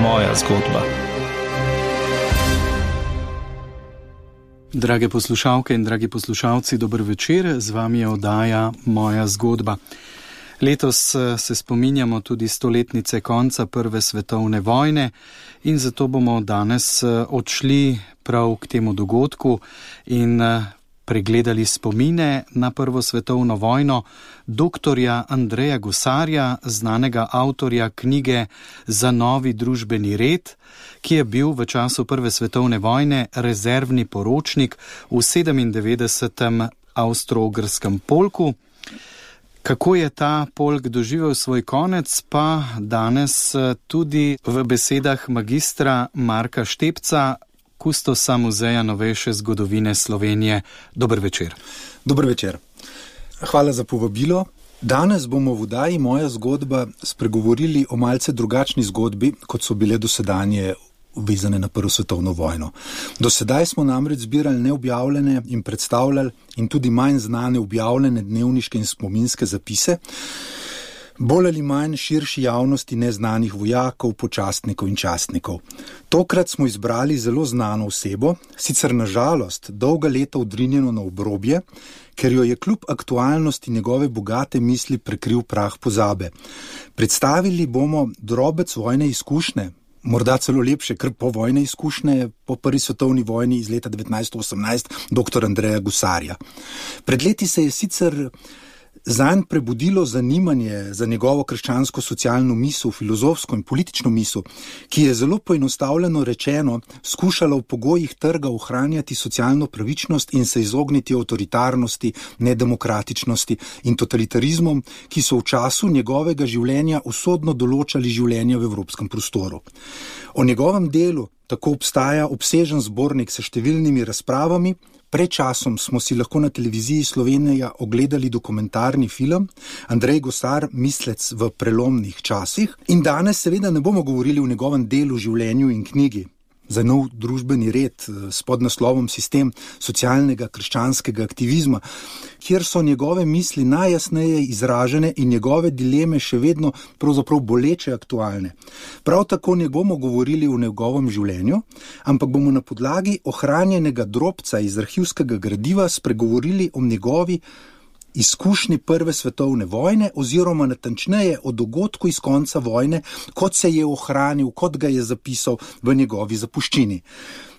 Moja zgodba. Drage poslušalke in dragi poslušalci, dober večer, z vami je oddaja Moja zgodba. Letos se spominjamo tudi stoletnice konca Prve svetovne vojne in zato bomo danes odšli prav k temu dogodku in pregledali spomine na Prvo svetovno vojno doktorja Andreja Gusarja, znanega avtorja knjige Za novi družbeni red, ki je bil v času Prve svetovne vojne rezervni poročnik v 97. avstro-ogrskem polku. Kako je ta polk doživel svoj konec, pa danes tudi v besedah magistra Marka Štepca, kustosa Muzeja novejše zgodovine Slovenije. Dober večer. Dober večer. Hvala za povabilo. Danes bomo v oddaji Moja zgodba spregovorili o malce drugačni zgodbi, kot so bile dosedanje vezane na Prvo svetovno vojno. Do sedaj smo namreč zbirali neobjavljene in predstavljali in tudi manj znane objavljene dnevniške in spominske zapise, bolj ali manj širši javnosti neznanih vojakov, počastnikov in častnikov. Tokrat smo izbrali zelo znano osebo, sicer na žalost dolga leta odrinjeno na obrobje, ker jo je kljub aktualnosti njegove bogate misli prekril prah pozabe. Predstavili bomo drobec vojne izkušnje, morda celo lepše, ker povojne izkušnje po Prvi svetovni vojni iz leta 1918 dr. Andreja Gusarja. Pred leti se je sicer zanj prebudilo zanimanje za njegovo krščansko-socialno misel, filozofsko in politično misel, ki je zelo poenostavljeno rečeno skušala v pogojih trga ohranjati socialno pravičnost in se izogniti avtoritarnosti, nedemokratičnosti in totalitarizmom, ki so v času njegovega življenja usodno določali življenje v evropskem prostoru. O njegovem delu tako obstaja obsežen zbornik s številnimi razpravami. Pred časom smo si lahko na televiziji Slovenija ogledali dokumentarni film Andrej Gusar, mislec v prelomnih časih. In danes seveda ne bomo govorili o njegovem delu, življenju in knjigi Za nov družbeni red s podnaslovom Sistem socialnega krščanskega aktivizma, kjer so njegove misli najjasneje izražene in njegove dileme še vedno pravzaprav boleče aktualne. Prav tako ne bomo govorili o njegovem življenju, ampak bomo na podlagi ohranjenega drobca iz arhivskega gradiva spregovorili o njegovi izkušnji Prve svetovne vojne oziroma natančneje o dogodku iz konca vojne, kot se je ohranil, kot ga je zapisal v njegovi zapuščini.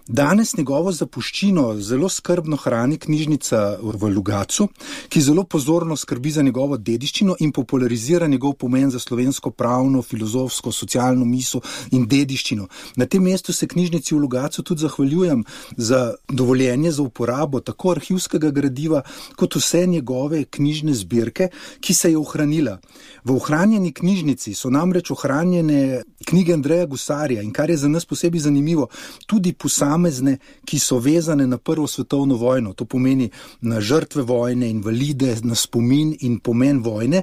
Danes njegovo zapuščino zelo skrbno hrani knjižnica v Logatcu, ki zelo pozorno skrbi za njegovo dediščino in popularizira njegov pomen za slovensko pravno, filozofsko, socialno misel in dediščino. Na tem mestu se knjižnici v Logatcu tudi zahvaljujem za dovoljenje za uporabo tako arhivskega gradiva, kot vse njegove knjižne zbirke, ki se je ohranila. V ohranjeni knjižnici so namreč ohranjene knjige Andreja Gusarja in kar je za nas posebej zanimivo, tudi posamezne, ki so vezane na Prvo svetovno vojno. To pomeni na žrtve vojne, invalide, na spomin in pomen vojne,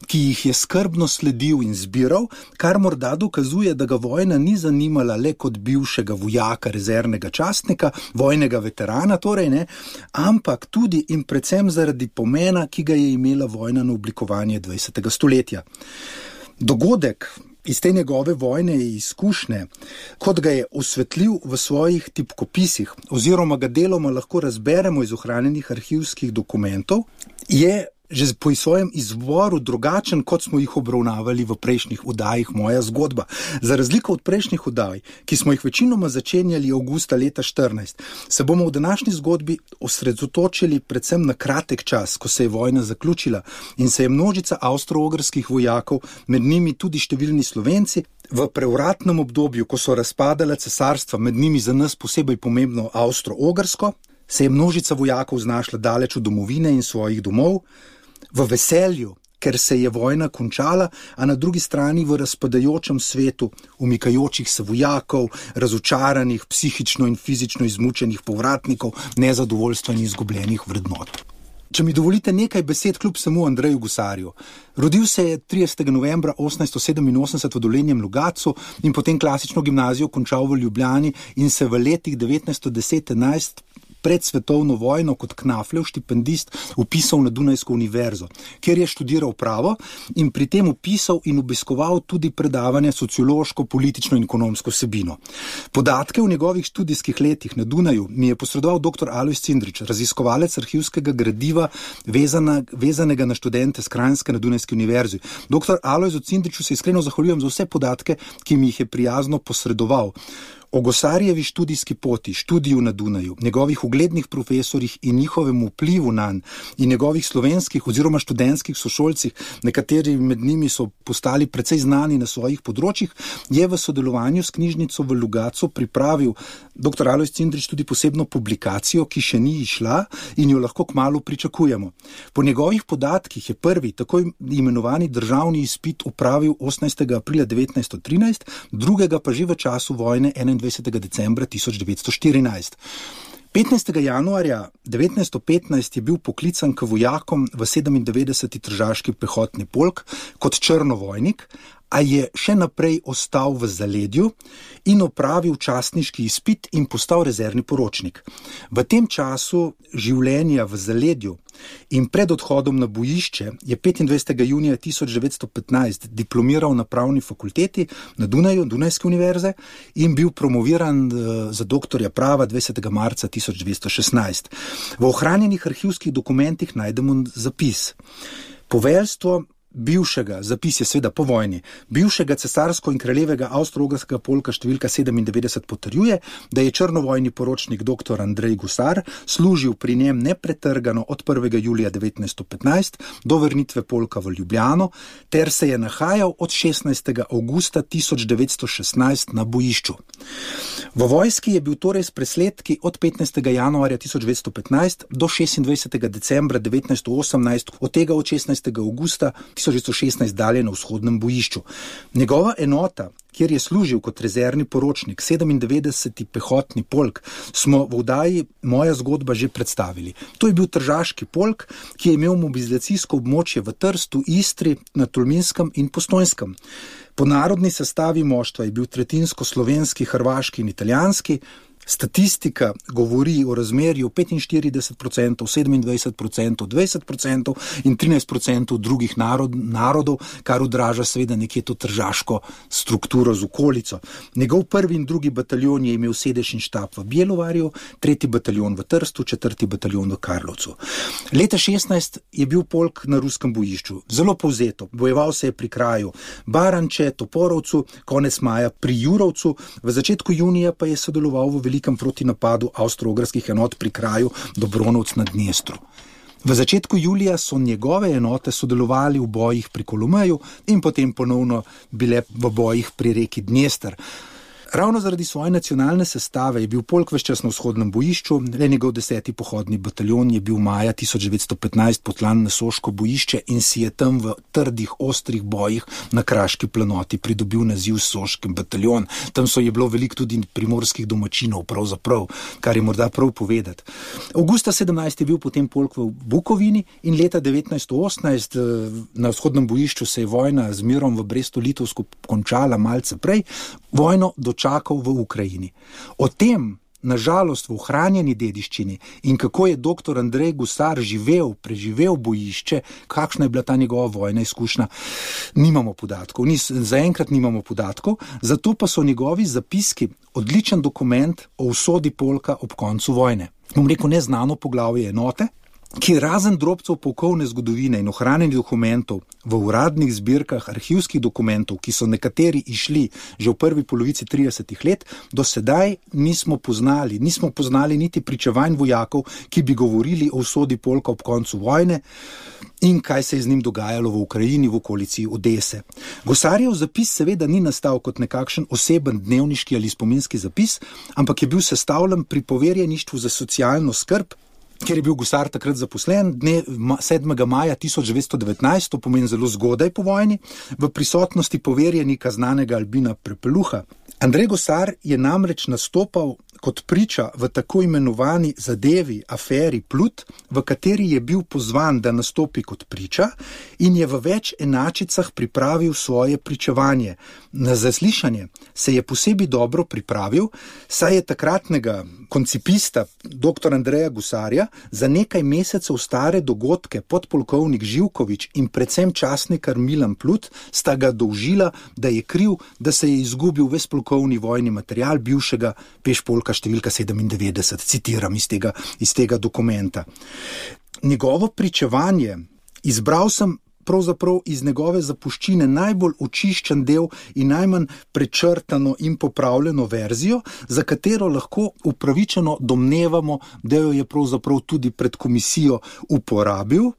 ki jih je skrbno sledil in zbiral, kar morda dokazuje, da ga vojna ni zanimala le kot bivšega vojaka, rezervnega častnika, vojnega veterana, torej ne, ampak tudi in predvsem zaradi pomena, ki ga je imela vojna na oblikovanje 20. stoletja. Dogodek iz te njegove vojne izkušnje, kot ga je osvetlil v svojih tipkopisih, oziroma ga deloma lahko razberemo iz ohranjenih arhivskih dokumentov, je že po svojem izvoru drugačen, kot smo jih obravnavali v prejšnjih oddajih Moja zgodba. Za razliko od prejšnjih oddaj, ki smo jih večinoma začenjali avgusta leta 14, se bomo v današnji zgodbi osredotočili predvsem na kratek čas, ko se je vojna zaključila in se je množica avstro-ogrskih vojakov, med njimi tudi številni Slovenci, v prevratnem obdobju, ko so razpadala cesarstva, med njimi za nas posebej pomembno Avstro-Ogrsko, se je množica vojakov znašla daleč od domovine in svojih domov, v veselju, ker se je vojna končala, a na drugi strani v razpadajočem svetu umikajočih se vojakov, razočaranih, psihično in fizično izmučenih povratnikov, nezadovoljstva in izgubljenih vrednot. Če mi dovolite nekaj besed kljub samo Andreju Gusarju. Rodil se je 30. novembra 1887 v Dolenjem Logatcu in potem klasično gimnazijo končal v Ljubljani in se v letih 1910-11 pred svetovno vojno kot Knaflev štipendist vpisal na Dunajsko univerzo, kjer je študiral pravo in pri tem vpisal in obiskoval tudi predavanja sociološko, politično in ekonomsko vsebino. Podatke v njegovih študijskih letih na Dunaju mi je posredoval dr. Alojz Cindrič, raziskovalec arhivskega gradiva vezanega na študente s Kranjske na Dunajski univerzi. Dr. Alojzu Cindriču se iskreno zahvaljujem za vse podatke, ki mi jih je prijazno posredoval. O Gosarjevi študijski poti, študiju na Dunaju, njegovih uglednih profesorjih in njihovem vplivu nanj in njegovih slovenskih oziroma študentskih sošolcih, nekateri med njimi so postali precej znani na svojih področjih, je v sodelovanju s knjižnico v Logatcu pripravil dr. Alojz Cindrič tudi posebno publikacijo, ki še ni izšla in jo lahko kmalu pričakujemo. Po njegovih podatkih je prvi, tako imenovani državni izpit opravil 18. aprila 1913, drugega pa že v času vojne 21. decembra 1914. 15. januarja 1915 je bil poklican k vojakom v 97. tržaški pehotni polk kot črnovojnik, a je še naprej ostal v zaledju in opravil častniški izpit in postal rezervni poročnik. V tem času življenja v zaledju in pred odhodom na bojišče je 25. junija 1915 diplomiral na pravni fakulteti na Dunaju, Dunajske univerze in bil promoviran za doktorja prava 20. marca 1916. V ohranjenih arhivskih dokumentih najdemo zapis. Poveljstvo bivšega, zapis je seveda po vojni, bivšega cesarsko in kraljevega avstro-ogrskega polka številka 97 potrjuje, da je črnovojni poročnik dr. Andrej Gusar služil pri njem nepretrgano od 1. julija 1915 do vrnitve polka v Ljubljano, ter se je nahajal od 16. avgusta 1916 na bojišču. V vojski je bil torej s presledki od 15. januarja 1915 do 26. decembra 1918, od tega od 16. avgusta 1916 dalje na vzhodnem bojišču. Njegova enota, kjer je služil kot rezervni poročnik, 97. pehotni polk, smo v oddaji Moja zgodba že predstavili. To je bil tržaški polk, ki je imel mobilizacijsko območje v Trstu, Istri, na Tolminskem in Postojnskem. Po narodni sestavi moštva je bil tretjinsko slovenski, hrvaški in italijanski. Statistika govori o razmerju 45%, 27%, 20% in 13% drugih narodov, kar odraža seveda nekje to tržaško strukturo z okolico. Njegov prvi in drugi bataljon je imel sedež in štab v Bjelovarju, tretji bataljon v Trstu, četrti bataljon v Karlovcu. Leta 16 je bil polk na ruskem bojišču. Zelo povzeto, bojeval se je pri kraju Baranče, Toporovcu, konec maja pri Jurovcu, v začetku junija pa je sodeloval v velikem protinapadu avstro-ogrskih enot pri kraju Dobronovc na Dnestru. V začetku julija so njegove enote sodelovali v bojih pri Kolomeju in potem ponovno bile v bojih pri reki Dnester. Ravno zaradi svoje nacionalne sestave je bil polk ves čas na vzhodnem bojišču, le njegov 10. pohodni bataljon je bil maja 1915 potlan na Soško bojišče in si je tam v trdih, ostrih bojih na Kraški planoti pridobil naziv Soški bataljon. Tam je bilo veliko tudi primorskih domačinov, pravzaprav, kar je morda prav povedati. Avgusta 17 je bil potem polk v Bukovini in leta 1918 na vzhodnem bojišču se je vojna z mirom v Brestu-Litovsku končala malce prej, vojno dočakal v Ukrajini. O tem, nažalost, v ohranjeni dediščini in kako je dr. Andrej Gusar preživel bojišče, kakšna je bila ta njegova vojna izkušnja, nimamo podatkov. Zaenkrat nimamo podatkov, zato pa so njegovi zapiski odličen dokument o usodi polka ob koncu vojne. Bom rekel, neznano poglavje enote, ki razen drobcev polkovne zgodovine in ohranjenih dokumentov v uradnih zbirkah arhivskih dokumentov, ki so nekateri išli že v prvi polovici 30. let, do sedaj nismo poznali niti pričevanj vojakov, ki bi govorili o usodi polka ob koncu vojne in kaj se je z njim dogajalo v Ukrajini, v okolici Odese. Gosarjev zapis seveda ni nastal kot nekakšen oseben dnevniški ali spominski zapis, ampak je bil sestavljen pri poverjeništvu za socialno skrb, ker je bil Gusar takrat zaposlen, dne 7. maja 1919, to pomeni zelo zgodaj po vojni, v prisotnosti poverjenika znanega Albina Prepeluha. Andrej Gusar je namreč nastopal kot priča v tako imenovani zadevi aferi Plut, v kateri je bil pozvan, da nastopi kot priča in je v več enačicah pripravil svoje pričevanje. Na zaslišanje se je posebej dobro pripravil, saj je takratnega koncipista dr. Andreja Gusarja za nekaj mesecev stare dogodke podpolkovnik Živkovič in predvsem častnikar Milan Plut sta ga dolžila, da je kriv, da se je izgubil ves polkovni vojni material bivšega pešpolka številka 97, citiram iz tega dokumenta. Njegovo pričevanje izbral sem pravzaprav iz njegove zapuščine najbolj očiščen del in najmanj prečrtano in popravljeno verzijo, za katero lahko upravičeno domnevamo, da jo je pravzaprav tudi pred komisijo uporabil.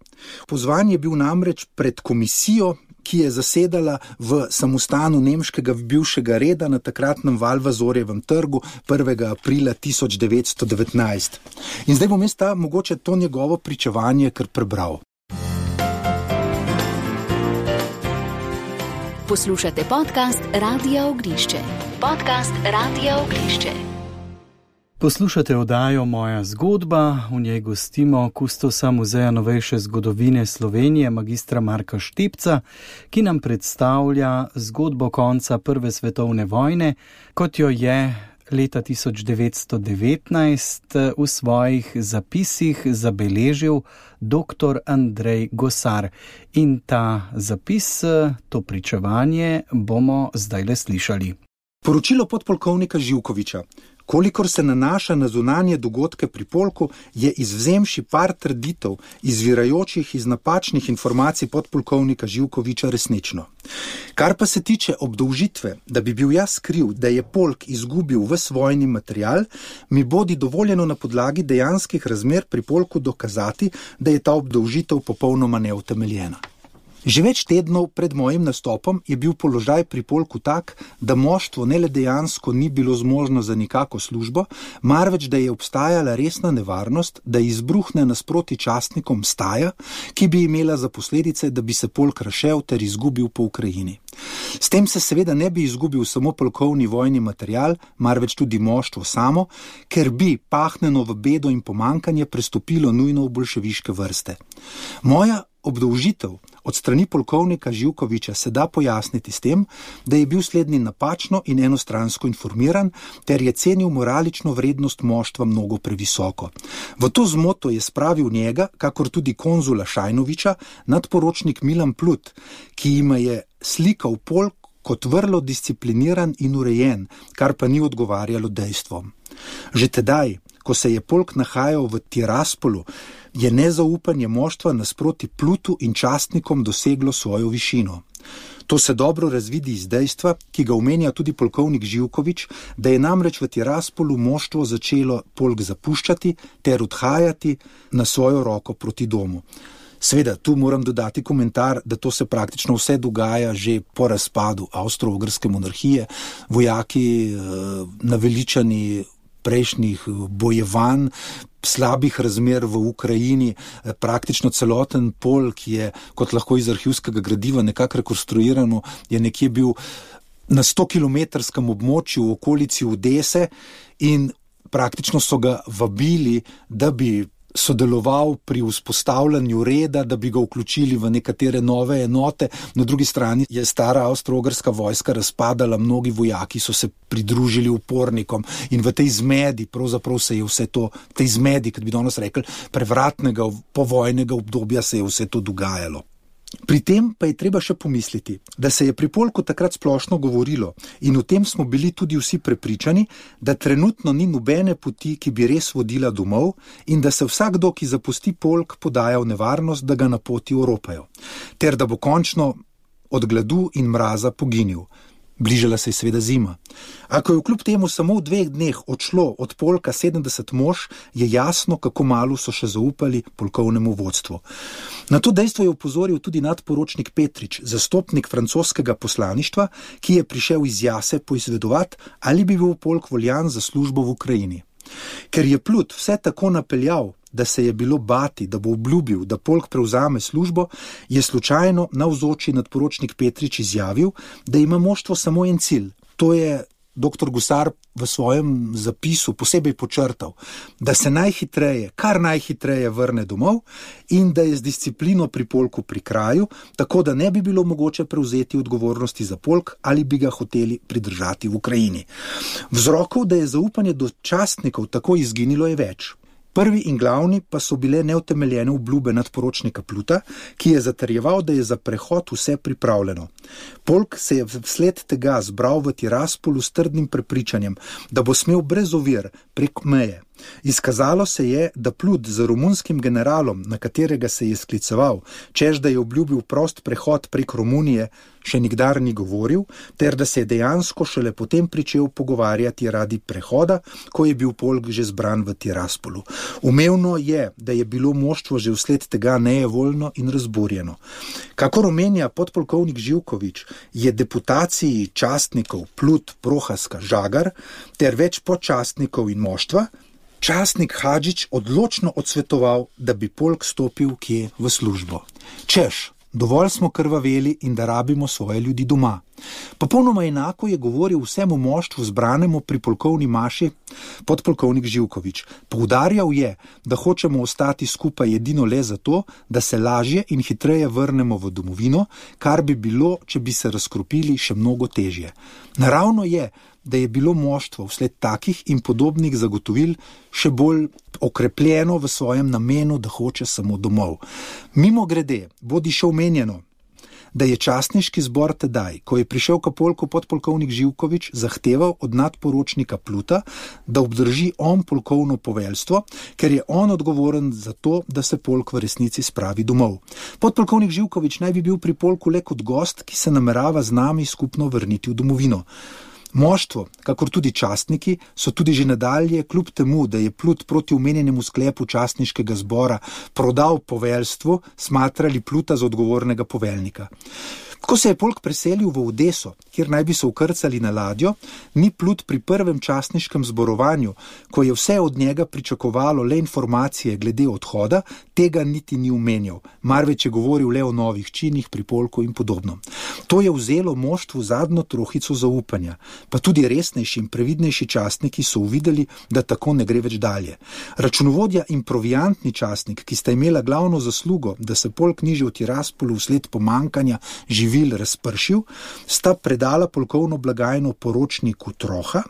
Pozvan je bil namreč pred komisijo, ki je zasedala v samostanu nemškega bivšega reda na takratnem Valvazorjevem trgu 1. aprila 1919. In zdaj bom jaz mogoče to njegovo pričevanje kar prebral. Poslušate podcast Radia Ognišče. Podcast Radia Ognišče. Poslušate oddajo Moja zgodba, v njej gostimo kustosa Muzeja novejše zgodovine Slovenije, magistra Marka Štepca, ki nam predstavlja zgodbo konca Prve svetovne vojne, kot jo je leta 1919 v svojih zapisih zabeležil dr. Andrej Gosar. In ta zapis, to pričevanje bomo zdajle slišali. Poročilo podpolkovnika Živkoviča. Kolikor se nanaša na zunanje dogodke pri polku, je izvzemši par trditev, izvirajočih iz napačnih informacij podpolkovnika Živkoviča resnično. Kar pa se tiče obdolžitve, da bi bil jaz kriv, da je polk izgubil ves vojni material, mi bodi dovoljeno na podlagi dejanskih razmer pri polku dokazati, da je ta obdolžitev popolnoma neutemeljena. Že več tednov pred mojim nastopom je bil položaj pri polku tak, da moštvo ne le dejansko ni bilo zmožno za nikako službo, marveč da je obstajala resna nevarnost, da izbruhne nasproti častnikom staja, ki bi imela za posledice, da bi se polk razšel ter izgubil po Ukrajini. S tem se seveda ne bi izgubil samo polkovni vojni material, marveč tudi moštvo samo, ker bi pahnjeno v bedo in pomankanje prestopilo nujno v boljševiške vrste. Moja obdolžitev od strani polkovnika Živkoviča se da pojasniti s tem, da je bil slednji napačno in enostransko informiran, ter je cenil moralično vrednost moštva mnogo previsoko. V to zmoto je spravil njega, kakor tudi konzula Šajnoviča, nadporočnik Milan Plut, ki jima je slikal polk kot vrlo discipliniran in urejen, kar pa ni odgovarjalo dejstvom. Že tedaj, ko se je polk nahajal v Tiraspolu, je nezaupanje moštva nasproti Plutu in častnikom doseglo svojo višino. To se dobro razvidi iz dejstva, ki ga omenja tudi polkovnik Živkovič, da je namreč v Tiraspolu moštvo začelo polk zapuščati ter odhajati na svojo roko proti domu. Seveda, tu moram dodati komentar, da to se praktično vse dogaja že po razpadu Avstro-Ogrske monarhije. Vojaki naveličani prejšnjih bojevanj, slabih razmer v Ukrajini, praktično celoten polk je, kot lahko iz arhivskega gradiva nekako rekonstruirano, je nekje bil na 100-kilometrskem območju v okolici Odese in praktično so ga vabili, da bi sodeloval pri vzpostavljanju reda, da bi ga vključili v nekatere nove enote. Na drugi strani je stara avstro-ogrska vojska razpadala, mnogi vojaki so se pridružili upornikom in v tej zmedi, pravzaprav se je vse to, tej zmedi, kot bi danes rekli, prevratnega povojnega obdobja se je vse to dogajalo. Pri tem pa je treba še pomisliti, da se je pri polku takrat splošno govorilo in o tem smo bili tudi vsi prepričani, da trenutno ni nobene poti, ki bi res vodila domov in da se vsakdo, ki zapusti polk, podaja v nevarnost, da ga na poti oropajo, ter da bo končno od gladu in mraza poginil. Bližala se je seveda zima. Ako je kljub temu samo v 2 dneh odšlo od polka 70 mož, je jasno, kako malo so še zaupali polkovnemu vodstvu. Na to dejstvo je opozoril tudi nadporočnik Petrič, zastopnik francoskega poslaništva, ki je prišel iz Jase poizvedovati, ali bi bil polk voljan za službo v Ukrajini. Ker je Plut vse tako napeljal, da se je bilo bati, da bo obljubil, da polk prevzame službo, je slučajno navzoči nadporočnik Petrič izjavil, da ima moštvo samo en cilj, to je dr. Gusar v svojem zapisu posebej počrtal, da se najhitreje, kar najhitreje vrne domov in da je z disciplino pri polku pri kraju, tako da ne bi bilo mogoče prevzeti odgovornosti za polk ali bi ga hoteli pridržati v Ukrajini. Vzrokov, da je zaupanje do častnikov tako izginilo, je več. Prvi in glavni pa so bile neutemeljene obljube nadporočnika Pluta, ki je zatrjeval, da je za prehod vse pripravljeno. Polk se je vsled tega zbral v Tiraspolu s trdnim prepričanjem, da bo smel brez ovir prek meje. Izkazalo se je, da Plut z romunskim generalom, na katerega se je skliceval, češ da je obljubil prost prehod prek Romunije, še nikdar ni govoril, ter da se je dejansko šele potem pričel pogovarjati radi prehoda, ko je bil polk že zbran v Tiraspolu. Umevno je, da je bilo moštvo že vsled tega nejevoljno in razburjeno. Kakor omenja podpolkovnik Živkovič, je deputaciji častnikov Plut, Prohaska, Žagar ter več podčastnikov in moštva častnik Hadžič odločno odsvetoval, da bi polk stopil kje v službo. Češ, dovolj smo krvaveli in da rabimo svoje ljudi doma. Popolnoma enako je govoril vsemu moštvu zbranemu pri polkovni maši podpolkovnik Živkovič. Poudarjal je, da hočemo ostati skupaj edino le zato, da se lažje in hitreje vrnemo v domovino, kar bi bilo, če bi se razkropili, še mnogo težje. Naravno je, da je bilo moštvo vsled takih in podobnih zagotovil še bolj okrepljeno v svojem namenu, da hoče samo domov. Mimogrede, bodi še omenjeno, da je častniški zbor tedaj, ko je prišel k polku podpolkovnik Živkovič, zahteval od nadporočnika Pluta, da obdrži on polkovno poveljstvo, ker je on odgovoren za to, da se polk v resnici spravi domov. Podpolkovnik Živkovič naj bi bil pri polku le kot gost, ki se namerava z nami skupno vrniti v domovino. Moštvo, kakor tudi častniki, so tudi že nadalje, kljub temu, da je Plut proti omenjenemu sklepu častniškega zbora prodal poveljstvo, smatrali Pluta za odgovornega poveljnika. Ko se je polk preselil v Odeso, kjer naj bi se ukrcali na ladjo, ni Plut pri prvem častniškem zborovanju, ko je vse od njega pričakovalo le informacije glede odhoda, tega niti ni omenjal, marveč je govoril le o novih činih pri polku in podobno. To je vzelo moštvu zadnjo trohico zaupanja, pa tudi resnejši in previdnejši častniki so uvideli, da tako ne gre več dalje. Računovodja in proviantni častnik, ki sta imela glavno zaslugo, da se polk ni že v Tiraspolu vsled pomankanja živil razpršil, sta predala polkovno blagajno poročniku Troha,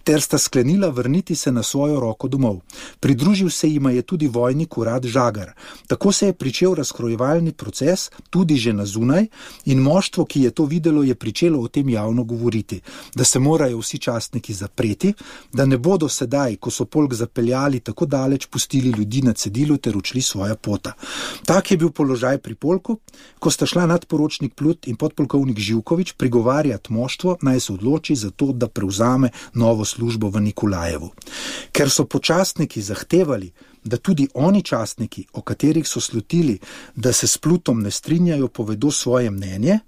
ter sta sklenila vrniti se na svojo roko domov. Pridružil se jima je tudi vojnik urad Žagar. Tako se je pričel razkrojevalni proces, tudi že na zunaj, in moštvo, ki je to videlo, je pričelo o tem javno govoriti, da se morajo vsi častniki zapreti, da ne bodo sedaj, ko so polk zapeljali tako daleč, pustili ljudi na cedilu ter odšli svoja pota. Tak je bil položaj pri polku, ko sta šla nadporočnik Plut in podpolkovnik Živkovič prigovarjati moštvo, naj se odloči za to, da prevzame novo službo v Nikolajevu. Ker so počastniki zahtevali, da tudi oni častniki, o katerih so slutili, da se s Plutom ne strinjajo, povedo svoje mnenje,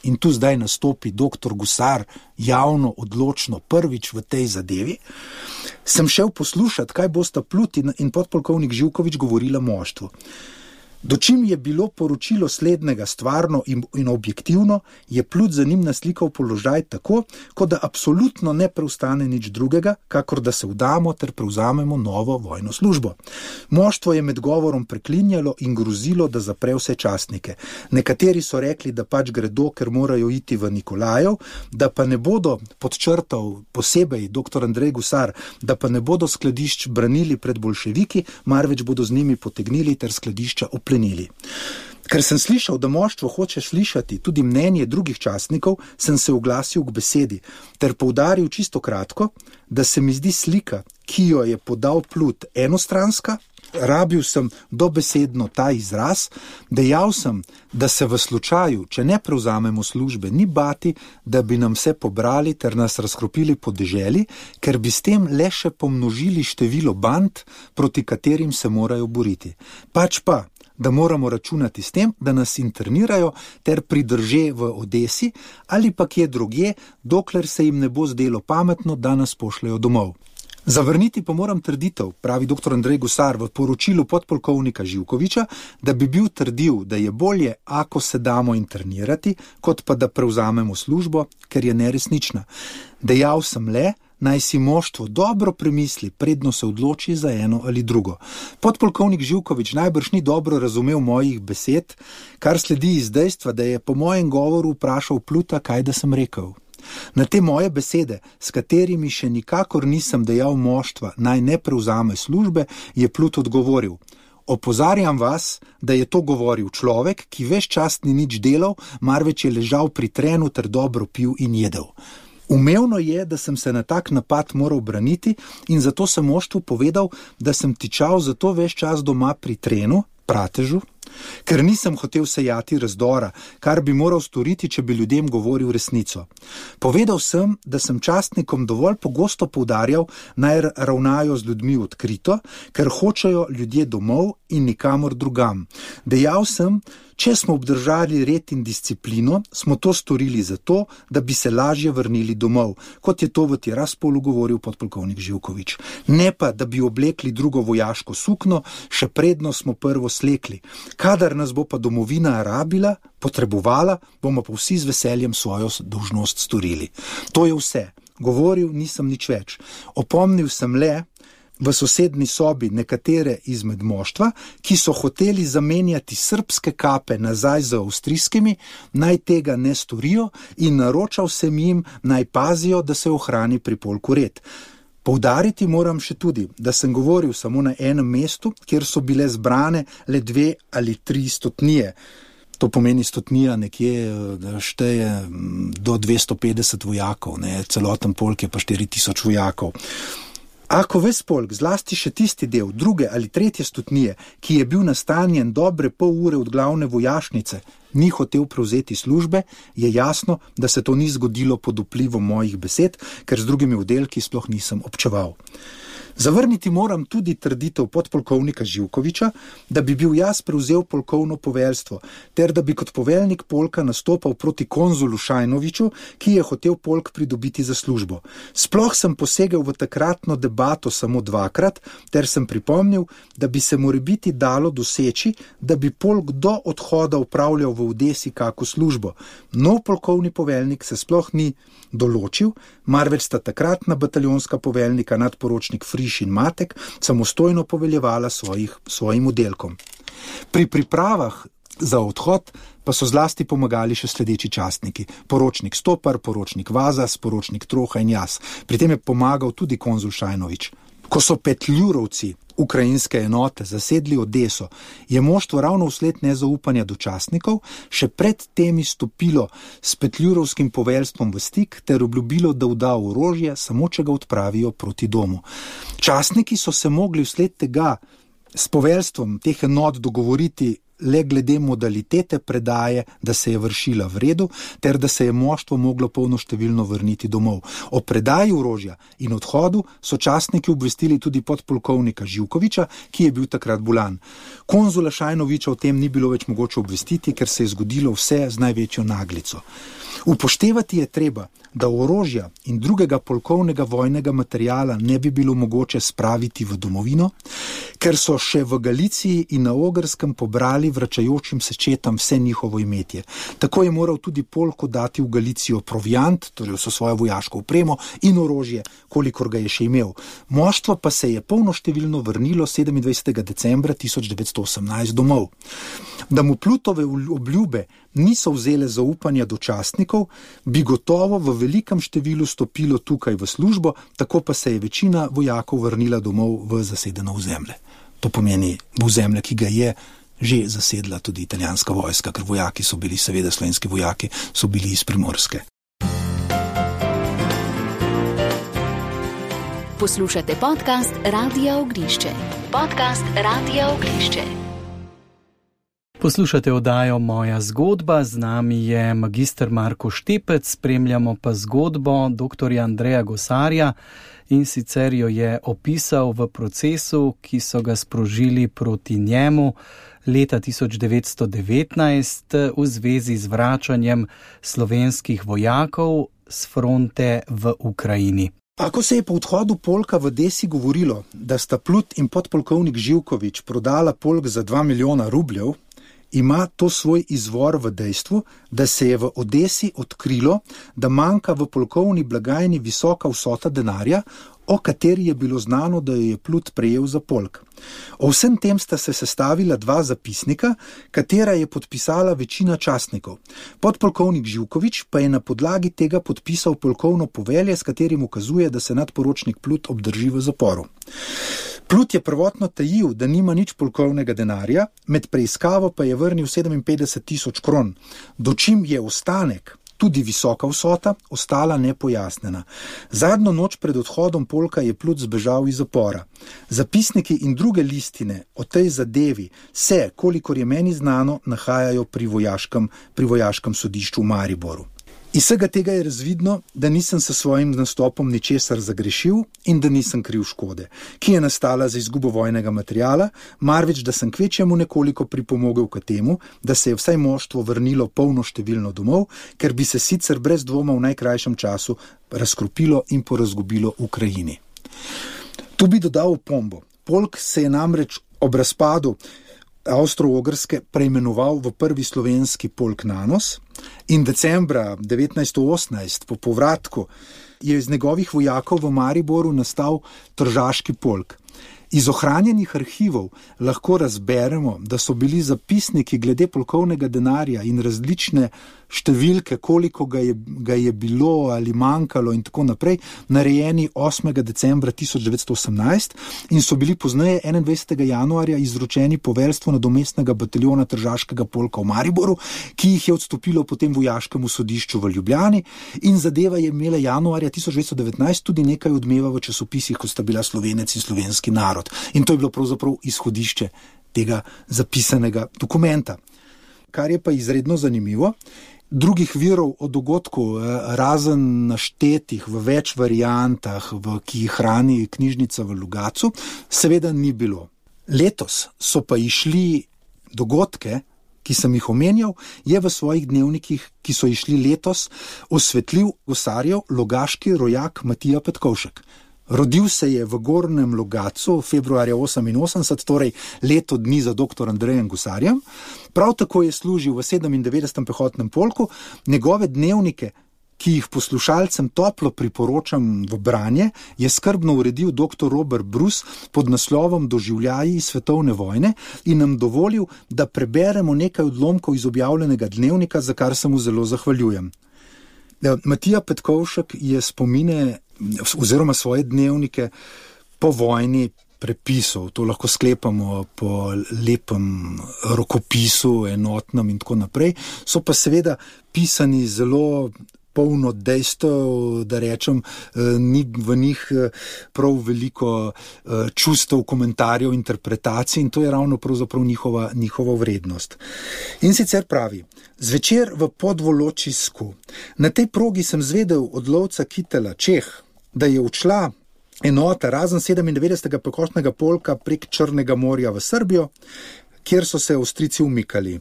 in tu zdaj nastopi dr. Gusar javno, odločno, prvič v tej zadevi, sem šel poslušati, kaj bosta Plut in podpolkovnik Živkovič govorila moštvu. Dočim je bilo poročilo slednjega stvarno in objektivno, je Plut za njim naslikal položaj tako, kot da absolutno ne preostane nič drugega, kakor da se vdamo ter prevzamemo novo vojno službo. Moštvo je med govorom preklinjalo in grozilo, da zapre vse častnike. Nekateri so rekli, da pač gredo, ker morajo iti v Nikolajev, da pa ne bodo, podčrtal posebej dr. Andrej Gusar, da pa ne bodo skladišč branili pred bolševiki, marveč bodo z njimi potegnili ter skladišča oplenili. Ker sem slišal, da moštvo hoče slišati tudi mnenje drugih častnikov, sem se oglasil k besedi ter poudaril čisto kratko, da se mi zdi slika, ki jo je podal Plut, enostranska. Rabil sem dobesedno ta izraz, dejal sem, da se v slučaju, če ne prevzamemo službe, ni bati, da bi nam vse pobrali ter nas razkropili po deželi, ker bi s tem le še pomnožili število band, proti katerim se morajo boriti. Pač pa, da moramo računati s tem, da nas internirajo ter pridrže v Odesi ali pa kje drugje, dokler se jim ne bo zdelo pametno, da nas pošljajo domov. Zavrniti pa moram trditev, pravi dr. Andrej Gosar v poročilu podpolkovnika Živkoviča, da bi bil trdil, da je bolje, ako se damo internirati, kot pa da prevzamemo službo, ker je neresnična. Dejal sem le, naj si moštvo dobro premisli, predno se odloči za eno ali drugo. Podpolkovnik Živkovič najbrž ni dobro razumel mojih besed, kar sledi iz dejstva, da je po mojem govoru vprašal Pluta, kaj da sem rekel. Na te moje besede, s katerimi še nikakor nisem dejal moštva, naj ne prevzame službe, je Plut odgovoril: opozarjam vas, da je to govoril človek, ki ves čas ni nič delal, marveč je ležal pri trenu ter dobro pil in jedel. Umevno je, da sem se na tak napad moral braniti in zato sem moštvu povedal, da sem tičal zato ves čas doma pri trenu, pratežu, ker nisem hotel sejati razdora, kar bi moral storiti, če bi ljudem govoril resnico. Povedal sem, da sem častnikom dovolj pogosto poudarjal, naj ravnajo z ljudmi odkrito, ker hočejo ljudje domov in nikamor drugam. Dejal sem, če smo obdržali red in disciplino, smo to storili zato, da bi se lažje vrnili domov, kot je to v Tiraspolu govoril podpolkovnik Živkovič. Ne pa, da bi oblekli drugo vojaško sukno, še predno smo prvo slekli. Kadar nas bo pa domovina rabila, potrebovala, bomo pa vsi z veseljem svojo dolžnost storili. To je vse. Govoril nisem nič več. Opomnil sem le v sosednji sobi nekatere izmed moštva, ki so hoteli zamenjati srbske kape nazaj z avstrijskimi, naj tega ne storijo in naročal sem jim, naj pazijo, da se ohrani pri polku red. Poudariti moram še tudi, da sem govoril samo na enem mestu, kjer so bile zbrane le 2 ali 3 stotnije. To pomeni stotnija nekje, da šteje do 250 vojakov, celoten polk je pa 4000 vojakov. Ako ves polk, zlasti še tisti del, 2. ali 3. stotnije, ki je bil nastanjen dobre pol ure od glavne vojašnice, ni hotel prevzeti službe, je jasno, da se to ni zgodilo pod vplivom mojih besed, ker z drugimi oddelki sploh nisem občeval. Zavrniti moram tudi trditev podpolkovnika Živkoviča, da bi bil jaz prevzel polkovno poveljstvo, ter da bi kot poveljnik polka nastopal proti konzulu Šajnoviču, ki je hotel polk pridobiti za službo. Sploh sem posegel v takratno debato samo 2-krat, ter sem pripomnil, da bi se morebiti dalo doseči, da bi polk do odhoda upravljal v Odesi kako službo. Nov polkovni poveljnik se sploh ni določil, marveč sta takratna bataljonska poveljnika nadporočnik Friš in Matek samostojno poveljevala svojim oddelkom. Pri pripravah za odhod pa so zlasti pomagali še sledeči častniki: poročnik Stopar, poročnik Vazas, poročnik Troha in jaz. Pri tem je pomagal tudi konzul Šajnovič. Ko so Petljurovci, ukrajinske enote, zasedli Odeso, je moštvo ravno vsled nezaupanja do častnikov še pred temi stopilo s Petljurovskim poveljstvom v stik ter obljubilo, da vda orožje, samo če ga odpravijo proti domu. Častniki so se mogli vsled tega s poveljstvom teh enot dogovoriti le glede modalitete predaje, da se je vršila v redu, ter da se je moštvo moglo polnoštevilno vrniti domov. O predaji orožja in odhodu so častniki obvestili tudi podpolkovnika Živkoviča, ki je bil takrat bolan. Konzula Šajnoviča o tem ni bilo več mogoče obvestiti, ker se je zgodilo vse z največjo naglico. Upoštevati je treba, da orožja in drugega polkovnega vojnega materijala ne bi bilo mogoče spraviti v domovino, ker so še v Galiciji in na Ogrskem pobrali vračajočim se četam vse njihovo imetje. Tako je moral tudi polk dati v Galicijo proviant, torej vso svojo vojaško opremo in orožje, kolikor ga je še imel. Moštvo pa se je polnoštevilno vrnilo 27. decembra 1918 domov. Da mu Plutove obljube niso vzele zaupanja do častnikov, bi gotovo v velikem številu stopilo tukaj v službo, tako pa se je večina vojakov vrnila domov v zasedeno ozemlje. To pomeni v ozemlje, ki ga je že zasedla tudi italijanska vojska, ker vojaki so bili, seveda slovenski vojaki, so bili iz Primorske. Poslušate podcast Radia Ognišče. Podcast Radia Ognišče. Poslušate oddajo Moja zgodba, z nami je magister Marko Štepec, spremljamo pa zgodbo dr. Andreja Gosarja, in sicer jo je opisal v procesu, ki so ga sprožili proti njemu leta 1919 v zvezi z vračanjem slovenskih vojakov s fronte v Ukrajini. Ko se je po odhodu polka v Odesi govorilo, da sta Plut in podpolkovnik Živkovič prodala polk za 2 milijona rubljev, ima to svoj izvor v dejstvu, da se je v Odesi odkrilo, da manjka v polkovni blagajni visoka vsota denarja, o kateri je bilo znano, da jo je Plut prejel za polk. O vsem tem sta se sestavila 2 zapisnika, katera je podpisala večina častnikov. Podpolkovnik Živkovič pa je na podlagi tega podpisal polkovno povelje, s katerim ukazuje, da se nadporočnik Plut obdrži v zaporu. Plut je prvotno tajil, da nima nič polkovnega denarja, med preiskavo pa je vrnil 57 000 kron, dočim je ostanek, tudi visoka vsota, ostala nepojasnjena. Zadnjo noč pred odhodom polka je Plut zbežal iz zapora. Zapisniki in druge listine o tej zadevi se, kolikor je meni znano, nahajajo pri vojaškem sodišču v Mariboru. Iz vsega tega je razvidno, da nisem s svojim nastopom ničesar zagrešil in da nisem kriv škode, ki je nastala za izgubo vojnega materiala, marveč da sem kvečjemu nekoliko pripomogel k temu, da se je vsaj moštvo vrnilo polnoštevilno domov, ker bi se sicer brez dvoma v najkrajšem času razkropilo in porazgubilo v Ukrajini. Tu bi dodal opombo. Polk se je namreč ob razpadu Avstro-Ogrske preimenoval v prvi slovenski polk Nanos in decembra 1918 po povratku je iz njegovih vojakov v Mariboru nastal Tržaški polk. Iz ohranjenih arhivov lahko razberemo, da so bili zapisniki glede polkovnega denarja in različne številke, koliko ga je bilo ali manjkalo in tako naprej, narejeni 8. decembra 1918 in so bili pozneje 21. januarja izročeni poveljstvu nadomestnega bataljona Tržaškega polka v Mariboru, ki jih je odstopilo potem vojaškemu sodišču v Ljubljani in zadeva je imela januarja 1919 tudi nekaj odmeva v časopisih, kot sta bila Slovenec in Slovenski narod. In to je bilo pravzaprav izhodišče tega zapisanega dokumenta. Kar je pa izredno zanimivo, drugih virov o dogodku, razen naštetih v več variantah, ki jih hrani knjižnica v Logatcu, seveda ni bilo. Letos so pa išli dogodke, ki sem jih omenjal, je v svojih dnevnikih, ki so išli letos, osvetlil gosarjev logaški rojak Matija Petkovšek. Rodil se je v Gornjem Logatcu februarja 1988, torej leto dni za dr. Andrejem Gusarjem. Prav tako je služil v 97. pehotnem polku. Njegove dnevnike, ki jih poslušalcem toplo priporočam v branje, je skrbno uredil dr. Robert Bruce pod naslovom Doživljaji svetovne vojne in nam dovolil, da preberemo nekaj odlomkov iz objavljenega dnevnika, za kar se mu zelo zahvaljujem. Matija Petkovšek je spomine oziroma svoje dnevnike po vojni prepisal. To lahko sklepamo po lepem rokopisu, enotnem in tako naprej. So pa seveda pisani zelo polno dejstev, da rečem, ni v njih prav veliko čustev, komentarjev, interpretacij in to je ravno pravzaprav njihova vrednost. In sicer pravi: zvečer v Podvoločisku. Na tej progi sem zvedel od lovca Kitela Čeh, da je odšla enota razen 97. pehotnega polka prek Črnega morja v Srbijo, kjer so se Avstrijci umikali.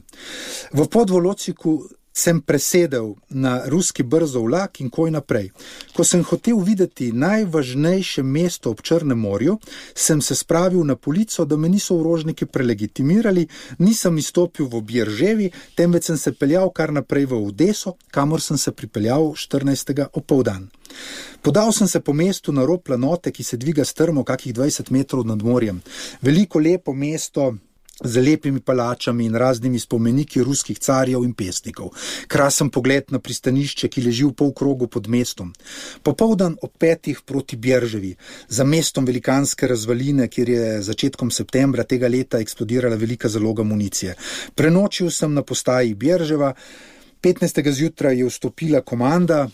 V Podvoločiku sem presedel na ruski brzo vlak in koj naprej. Ko sem hotel videti najvažnejše mesto ob Črnem morju, sem se spravil na polico, da me niso orožniki prelegitimirali, nisem izstopil v Bjerževi, temveč sem se peljal kar naprej v Odeso, kamor sem se pripeljal 14. opoldan. Podal sem se po mestu na rob planote, ki se dviga strmo kakih 20 metrov nad morjem. Veliko lepo mesto z lepimi palačami in raznimi spomeniki ruskih carjev in pesnikov. Krasen pogled na pristanišče, ki leži v polkrogu pod mestom. Popoldan ob 5 proti Bjerževi, za mestom velikanske razvaline, kjer je začetkom septembra tega leta eksplodirala velika zaloga municije. Prenočil sem na postaji Bjerževa, 15. zjutraj je vstopila komanda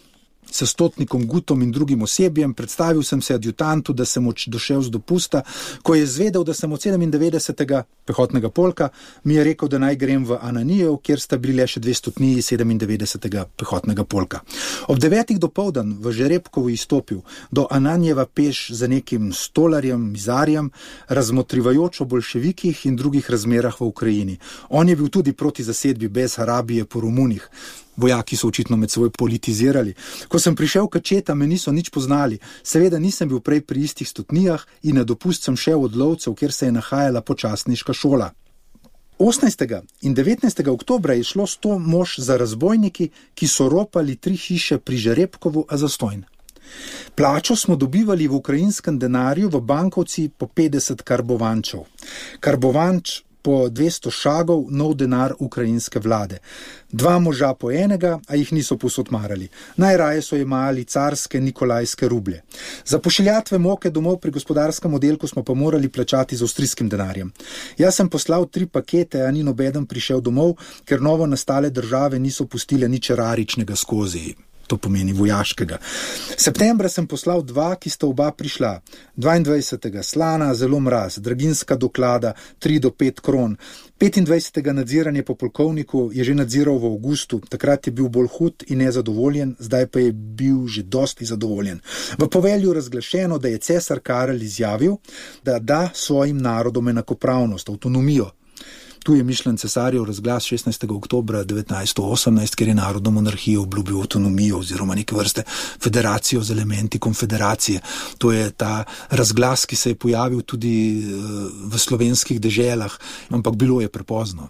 s stotnikom Gutom in drugim osebjem, predstavil sem se adjutantu, da sem došel z dopusta. Ko je zvedel, da sem od 97. pehotnega polka, mi je rekel, da naj grem v Ananijev, kjer sta bili le še 2 stotniji 97. pehotnega polka. Ob 9. dopoldan v Žerebkovu izstopil, do Ananijeva peš za nekim stolarjem, mizarjem, razmotrivajoč o bolševikih in drugih razmerah v Ukrajini. On je bil tudi proti zasedbi Besarabije po Romunih. Vojaki so očitno med seboj politizirali. Ko sem prišel k četa, me niso nič poznali. Seveda nisem bil prej pri istih stotnijah in na dopust sem šel od lovcev, kjer se je nahajala počasniška šola. 18. in 19. oktobra je šlo 100 mož za razbojniki, ki so ropali 3 hiše pri Žerebkovu, a zastonj. Plačo smo dobivali v ukrajinskem denarju v bankovci po 50 karbovančev. Karbovanč po 200 šagov, nov denar ukrajinske vlade. 2 moža po enega, a jih niso povsod marali. Najraje so jemali carske nikolajske rublje. Za pošiljatve moke domov pri gospodarskem oddelku smo pa morali plačati z avstrijskim denarjem. Jaz sem poslal 3 pakete, a ni nobeden prišel domov, ker novo nastale države niso pustile nič eraričnega skozi. To pomeni vojaškega. Septembra sem poslal 2, ki sta oba prišla. 22. slana, zelo mraz, draginska doklada, 3 do 5 kron. 25. nadziranje po polkovniku je že nadziral v avgustu, takrat je bil bolj hud in nezadovoljen, zdaj pa je bil že dosti zadovoljen. V povelju razglašeno, da je cesar Karel izjavil, da da svojim narodom enakopravnost, avtonomijo. Tu je mišljen cesarjev razglas 16. oktobra 1918, kjer je narodno monarhijo obljubil avtonomijo oziroma neke vrste federacijo z elementi konfederacije. To je ta razglas, ki se je pojavil tudi v slovenskih deželah, ampak bilo je prepozno.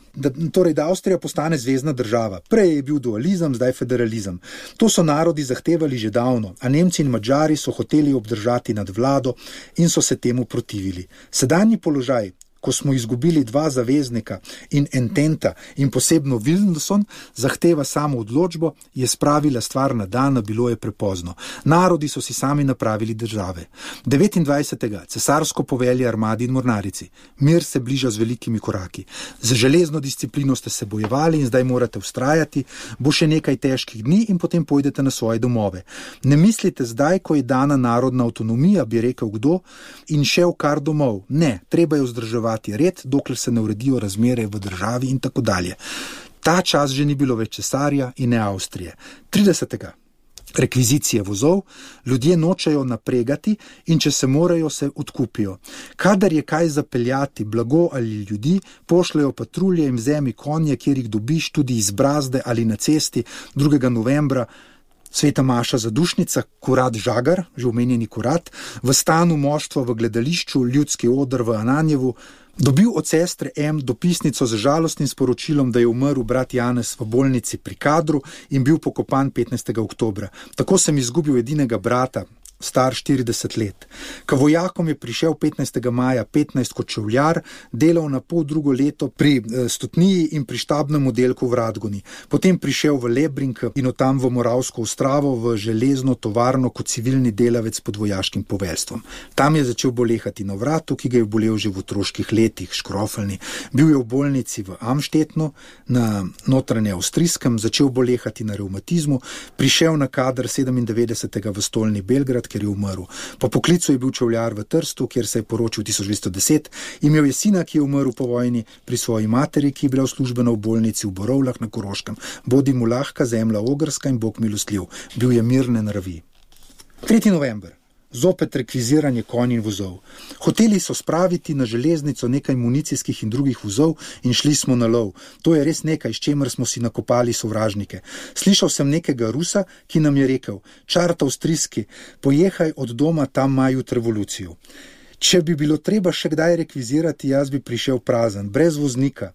Torej, da Avstrija postane zvezna država. Prej je bil dualizem, zdaj federalizem. To so narodi zahtevali že davno, a Nemci in Madžari so hoteli obdržati nad vlado in so se temu protivili. Sedanji položaj, ko smo izgubili 2 zaveznika in Ententa in posebno Wilson, zahteva samo odločbo, je spravila stvar na dan, bilo je prepozno. Narodi so si sami napravili države. 29. cesarsko povelje armadi in mornarici. Mir se bliža z velikimi koraki. Z železno disciplino ste se bojevali in zdaj morate vztrajati, bo še nekaj težkih dni in potem pojdete na svoje domove. Ne mislite zdaj, ko je dana narodna avtonomija, bi rekel kdo, in šel kar domov. Ne, treba je vzdrževati red, dokler se ne uredijo razmere v državi in tako dalje. Ta čas že ni bilo več cesarja in ne Avstrije. 30. rekvizicije vozov, ljudje nočejo napregati in če se morajo, se odkupijo. Kadar je kaj zapeljati, blago ali ljudi, pošljajo patrulje in vzemi konje, kjer jih dobiš tudi iz brazde ali na cesti. 2. novembra Sveta Maša Zadušnica, kurat Žagar, že omenjeni kurat, v stanu moštva v gledališču, ljudski oder v Ananjevu, dobil od sestre M dopisnico z žalostnim sporočilom, da je umrl brat Janez v bolnici pri Kadru in bil pokopan 15. oktobra. Tako sem izgubil edinega brata, star 40 let. K vojakom je prišel 15. maja 15 kot čevljar, delal na pol drugo leto pri Stotniji in pri štabnem oddelku v Radgoni. Potem prišel v Lebrink in od tam v Moravsko Ostravo v železno tovarno kot civilni delavec pod vojaškim poveljstvom. Tam je začel bolehati na vratu, ki ga je bolel že v otroških letih, škrofeljni. Bil je v bolnici v Amštetnu, na notranje avstrijskem, začel bolehati na revmatizmu, prišel na kader 97. v stolni Belgrad, ker je umrl. Po poklicu je bil čevljar v Trstu, kjer se je poročil 1210, imel je sina, ki je umrl po vojni, pri svoji materi, ki je bila službena v bolnici v Borovlah na Koroškem. Bodi mu lahka zemlja ogrska in Bog milostljiv. Bil je mirne nravi. 3. november. Zopet rekviziranje konj in vozov. Hoteli so spraviti na železnico nekaj municijskih in drugih vozov in šli smo na lov. To je res nekaj, s čemer smo si nakopali sovražnike. Slišal sem nekega Rusa, ki nam je rekel: čart avstrijski, pojehaj od doma, tam imajo revolucijo. Če bi bilo treba še kdaj rekvizirati, jaz bi prišel prazen, brez voznika.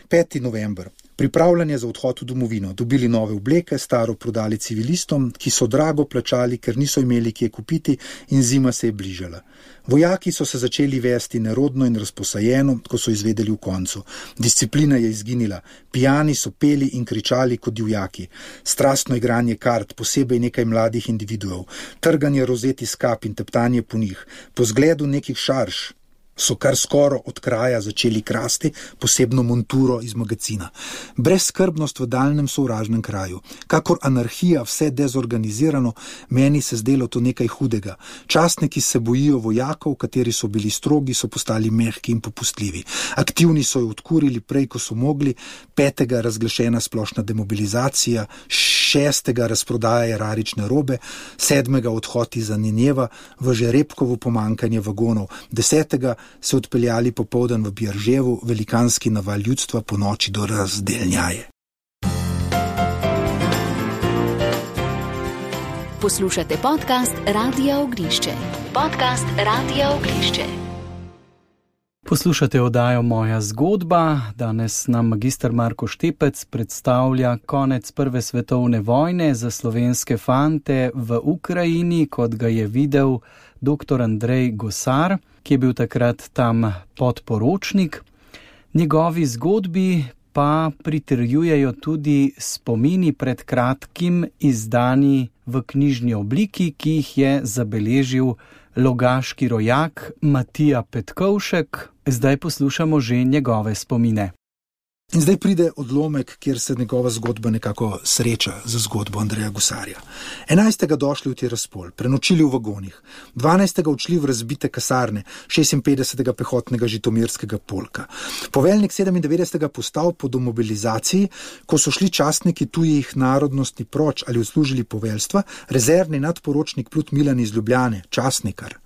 5. november. Pripravljanje za odhod v domovino. Dobili nove obleke, staro prodali civilistom, ki so drago plačali, ker niso imeli kje kupiti in zima se je bližala. Vojaki so se začeli vesti nerodno in razposajeno, ko so izvedeli v koncu. Disciplina je izginila. Pijani so peli in kričali kot divjaki. Strastno igranje kart, posebej nekaj mladih individuov. Trganje rozet iz kap in teptanje po njih. Po zgledu nekih šarž so kar skoro od kraja začeli krasti posebno monturo iz magazina. Brezskrbnost v daljnem sovražnem kraju. Kakor anarhija, vse dezorganizirano, meni se zdelo to nekaj hudega. Častniki se bojijo vojakov, kateri so bili strogi, so postali mehki in popustljivi. Aktivni so jo odkurili prej, ko so mogli. 5. razglašena splošna demobilizacija, 6. razprodaja erarične robe, 7. odhod iz Anenjeva, v Žerebkovo pomankanje vagonov, 10. se odpeljali popoldan v Bjarževu, velikanski naval ljudstva po noči do razdelnjaje. Poslušate podcast Radia Ognišče. Podcast Radia Ognišče. Poslušate oddajo Moja zgodba. Danes nam magister Marko Štepec predstavlja konec Prve svetovne vojne za slovenske fante v Ukrajini, kot ga je videl dr. Andrej Gosar, ki je bil takrat tam podporočnik. Njegovi zgodbi pa pritrjujejo tudi spomini pred kratkim izdani v knjižni obliki, ki jih je zabeležil logaški rojak Matija Petkovšek. Zdaj poslušamo že njegove spomine. In zdaj pride odlomek, kjer se njegova zgodba nekako sreča z zgodbo Andreja Gosarja. 11. došli v Tiraspol, prenočili v vagonih, 12. odšli v razbite kasarne 56. pehotnega žitomirskega polka. Poveljnik 97. postal po demobilizaciji, ko so šli častniki tujih narodnosti proč ali odslužili poveljstva, rezervni nadporočnik Plut Milan iz Ljubljane, častnikar.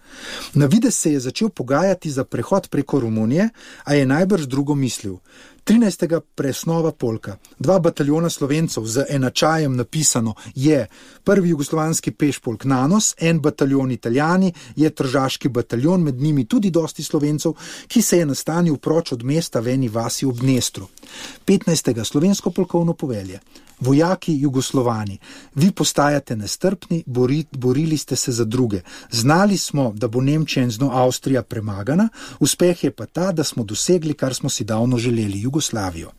Na videz se je začel pogajati za prehod preko Romunije, a je najbrž drugo mislil. 13. presnova polka, 2 bataljona Slovencev z enačajem napisano je prvi jugoslovanski pešpolk Nanos, 1 bataljon Italijani, je tržaški bataljon, med njimi tudi dosti Slovencev, ki se je nastanil proč od mesta v eni vasi ob Dnestru. 15. slovensko polkovno povelje. Vojaki Jugoslovani, vi postajate nestrpni, borili ste se za druge. Znali smo, da bo Nemčija in z njo Avstrija premagana, uspeh je pa ta, da smo dosegli, kar smo si davno želeli, Jugoslavijo.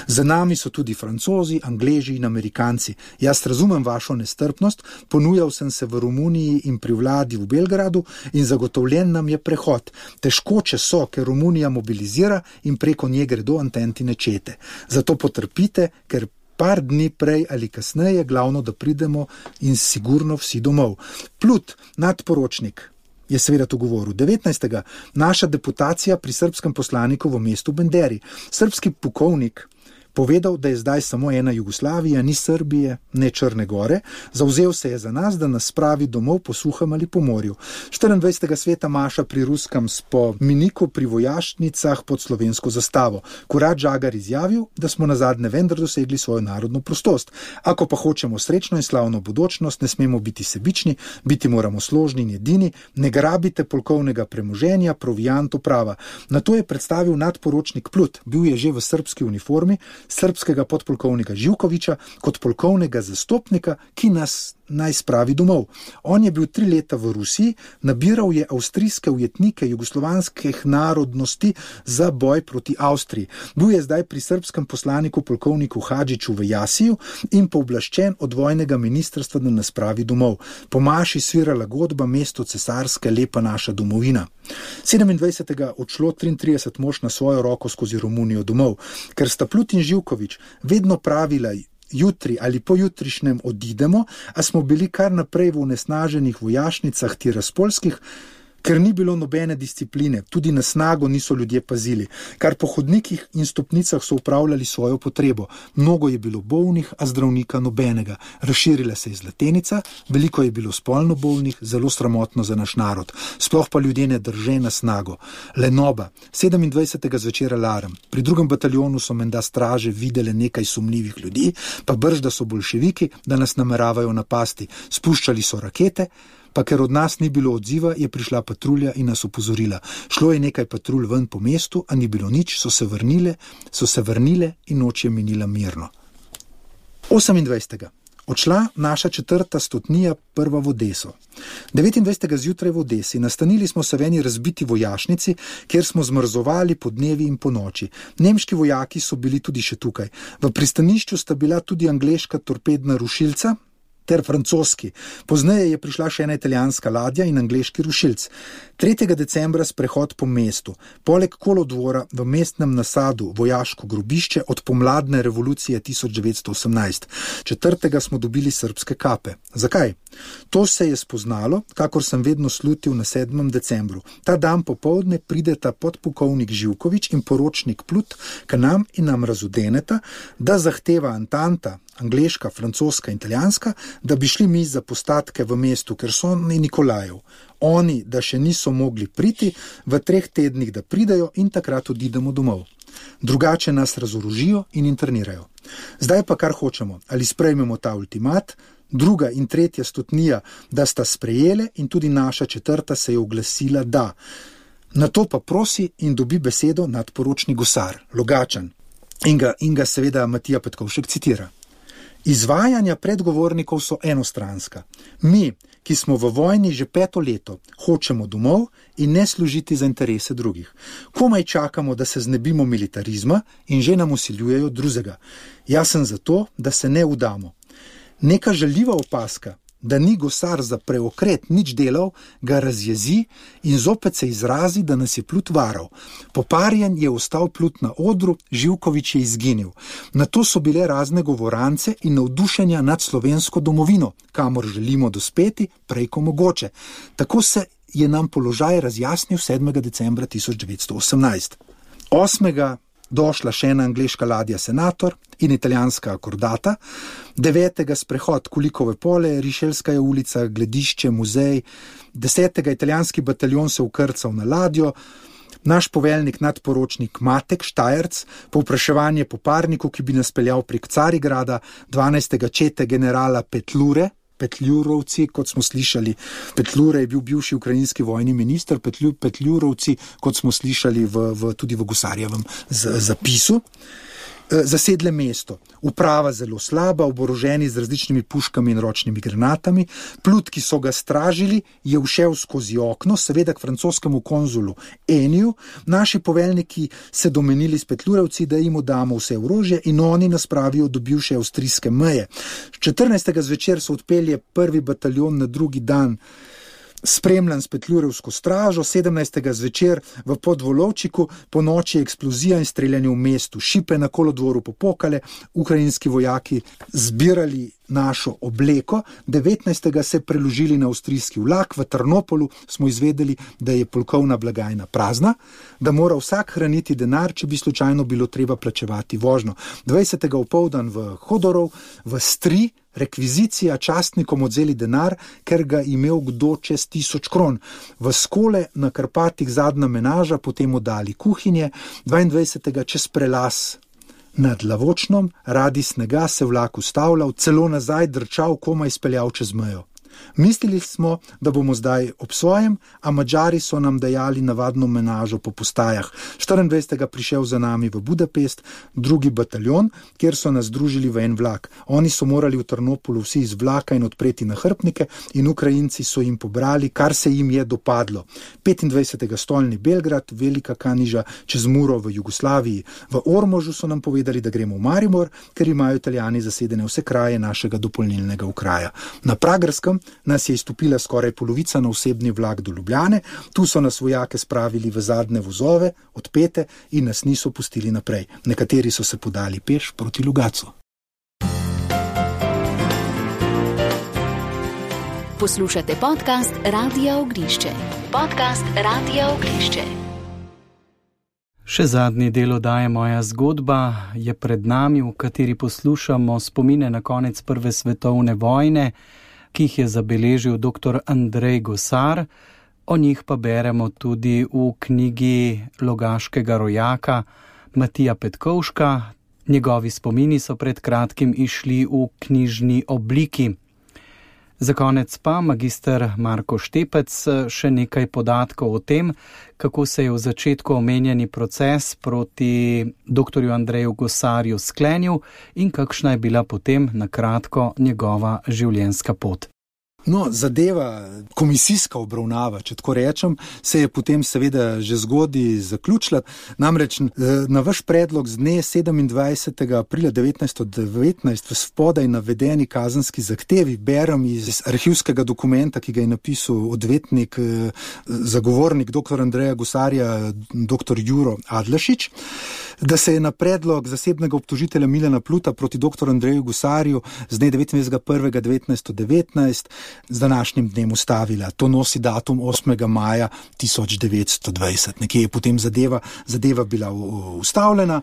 Za nami so tudi Francozi, Angleži in Amerikanci. Jaz razumem vašo nestrpnost, ponujal sem se v Romuniji in pri vladi v Belgradu in zagotovljen nam je prehod. Težkoče so, ker Romunija mobilizira in preko nje gredo Antentine čete. Zato potrpite, ker par dni prej ali kasneje, glavno, da pridemo in sigurno vsi domov. Plut, nadporočnik, je seveda to govoril. 19. naša deputacija pri srbskem poslaniku v mestu Benderi. Srbski pukovnik povedal, da je zdaj samo ena Jugoslavija, ni Srbije, ne Črne gore. Zavzel se je za nas, da nas spravi domov po suhem ali po morju. 24. sveta maša pri ruskem spomeniku pri vojašnicah pod slovensko zastavo. Kurat Žagar izjavil, da smo nazadnje vendar dosegli svojo narodno prostost. Ako pa hočemo srečno in slavno bodočnost, ne smemo biti sebični, biti moramo složni in edini, ne grabite polkovnega premoženja, provianto prava. Na to je predstavil nadporočnik Plut, bil je že v srbski uniformi, srbskega podpolkovnika Živkoviča kot polkovnega zastopnika, ki nas naj spravi domov. On je bil 3 leta v Rusiji, nabiral je avstrijske ujetnike jugoslovanskih narodnosti za boj proti Avstriji. Bil je zdaj pri srbskem poslaniku polkovniku Hadžiću v Jasiju in pooblaščen od vojnega ministrstva, da nas spravi domov. Po maši svirala godba Mesto cesarske, lepa naša domovina. 27. odšlo 33 mož na svojo roko skozi Romunijo domov, ker sta Plut in Živkovič vedno pravila jutri ali pojutrišnjem odidemo, a smo bili kar naprej v onesnaženih vojašnicah tiraspolskih, ker ni bilo nobene discipline, tudi na snago niso ljudje pazili, kar po hodnikih in stopnicah so upravljali svojo potrebo. Mnogo je bilo bolnih, a zdravnika nobenega. Razširila se je zlatenica, veliko je bilo spolno bolnih, zelo sramotno za naš narod. Sploh pa ljudje ne drže na snago. Lenoba, 27. zvečer alarm. Pri 2. bataljonu so menda straže videle nekaj sumljivih ljudi, pa brž, da so boljševiki, da nas nameravajo napasti. Spuščali so rakete, pa ker od nas ni bilo odziva, je prišla patrulja in nas opozorila. Šlo je nekaj patrulj ven po mestu, a ni bilo nič, so se vrnile in noč je minila mirno. 28. odšla naša 4. stotnija prva v Odeso. 29. zjutraj v Odesi nastanili smo se v eni razbiti vojašnici, kjer smo zmrzovali po dnevi in po noči. Nemški vojaki so bili tudi še tukaj. V pristanišču sta bila tudi angleška torpedna rušilca ter francoski. Pozneje je prišla še ena italijanska ladja in angleški rušilc. 3. decembra sprehod po mestu. Poleg kolodvora v mestnem nasadu vojaško grobišče od pomladne revolucije 1918. 4. smo dobili srbske kape. Zakaj? To se je spoznalo, kakor sem vedno slutil na 7. decembru. Ta dan popoldne prideta podpukovnik Živkovič in poročnik Plut k nam in nam razudeneta, da zahteva Antanta, angleška, francoska in italijanska, da bi šli mi za postatke v mestu Kerson in Nikolajev. Oni, da še niso mogli priti, v 3 tednih, da pridajo in takrat odidemo domov. Drugače nas razorožijo in internirajo. Zdaj pa kar hočemo, ali sprejmemo ta ultimat, druga in tretja stotnija, da sta sprejele in tudi naša četrta se je oglasila da. Na to pa prosi in dobi besedo nadporočnik Gosar, Logačan. In ga seveda Matija Petkovšek citira. Izvajanja predgovornikov so enostranska. Mi, ki smo v vojni že 5. leto, hočemo domov in ne služiti za interese drugih. Komaj čakamo, da se znebimo militarizma in že nam usiljujejo drugega. Jaz sem za to, da se ne udamo. Neka žaljiva opaska, da ni Gosar za preokret nič delal, ga razjezi in zopet se izrazi, da nas je Plut varal. Poparjen je ostal Plut na odru, Živkovič je izginil. Na to so bile razne govorance in navdušenja nad slovensko domovino, kamor želimo dospeti prej ko mogoče. Tako se je nam položaj razjasnil 7. decembra 1918. 8. došla še ena angleška ladja Senator in italijanska akordata, 9. sprehod Kulikove pole, Rišelskaja ulica, gledišče, muzej, 10. italijanski bataljon se ukrcal na ladjo, naš poveljnik nadporočnik Matek Štajerc, povpraševanje po parniku, ki bi nas peljal prek Carigrada, 12. čete generala Petljurovci, kot smo slišali, Petlure je bil bivši ukrajinski vojni minister, Petljurovci, kot smo slišali tudi v Gosarjevem zapisu, zasedle mesto. Uprava zelo slaba, oboroženi z različnimi puškami in ročnimi granatami. Plut, ki so ga stražili, je ušel skozi okno, seveda k francoskemu konzulu Eniju. Naši poveljniki se domenili s Petljurovci, da jim damo vse orožje in oni nas pravijo do bivše avstrijske meje. 14. zvečer so odpelje prvi bataljon na drugi dan, spremljan s Petljurovsko stražo, 17. zvečer v Podvolovčiku, po noči eksplozija in streljanje v mestu, šipe na kolodvoru popokale, ukrajinski vojaki zbirali našo obleko, 19. se preložili na avstrijski vlak, v Trnopolu smo izvedeli, da je polkovna blagajna prazna, da mora vsak hraniti denar, če bi slučajno bilo treba plačevati vožnjo. 20. opoldan v Hodorov, v Stri, rekvizicija, častnikom odzeli denar, ker ga imel kdo čez 1000 kron. V Skole na Karpatih zadnja menaža, potem oddali kuhinje, 22. čez prelaz nad Lavočnom, radi snega se vlak ustavljal, celo nazaj drčal, komaj speljal čez mejo. Mislili smo, da bomo zdaj ob svojem, a Madžari so nam dajali navadno menažo po postajah. 24. prišel za nami v Budapest, drugi bataljon, kjer so nas združili v en vlak. Oni so morali v Trnopolu vsi iz vlaka in odpreti nahrbtnike in Ukrajinci so jim pobrali, kar se jim je dopadlo. 25. stolni Belgrad, Velika Kaniža, čez Muro v Jugoslaviji. V Ormožu so nam povedali, da gremo v Maribor, ker imajo Italijani zasedene vse kraje našega dopolnilnega okraja. Na Pragerskem nas je izstopila skoraj polovica na osebni vlak do Ljubljane, tu so nas vojake spravili v zadnje vozove, odpete in nas niso pustili naprej. Nekateri so se podali peš proti Lugacu. Poslušate podcast Radia Ognišče. Podcast Radia Ognišče. Še zadnji del oddaje Moja zgodba je pred nami, v kateri poslušamo spomine na konec Prve svetovne vojne, ki jih je zabeležil dr. Andrej Gosar, o njih pa beremo tudi v knjigi Logaškega rojaka Matija Petkovška. Njegovi spomini so pred kratkim išli v knjižni obliki. Za konec pa magister Marko Štepec še nekaj podatkov o tem, kako se je v začetku omenjeni proces proti dr. Andreju Gosarju sklenil in kakšna je bila potem na kratko njegova življenjska pot. No, zadeva, komisijska obravnava, če tako rečem, se je potem seveda že zgodaj zaključila. Namreč na vaš predlog z dne 27. aprila 1919 v spodaj navedeni kazenski zahtevi berem iz arhivskega dokumenta, ki ga je napisal odvetnik, zagovornik dr. Andreja Gosarja, dr. Juro Adlešič, da se je na predlog zasebnega obtožitelja Milana Pluta proti dr. Andreju Gosarju z dne 29.1.1919 z današnjim dnem ustavila. To nosi datum 8. maja 1920. Nekje je potem zadeva bila ustavljena.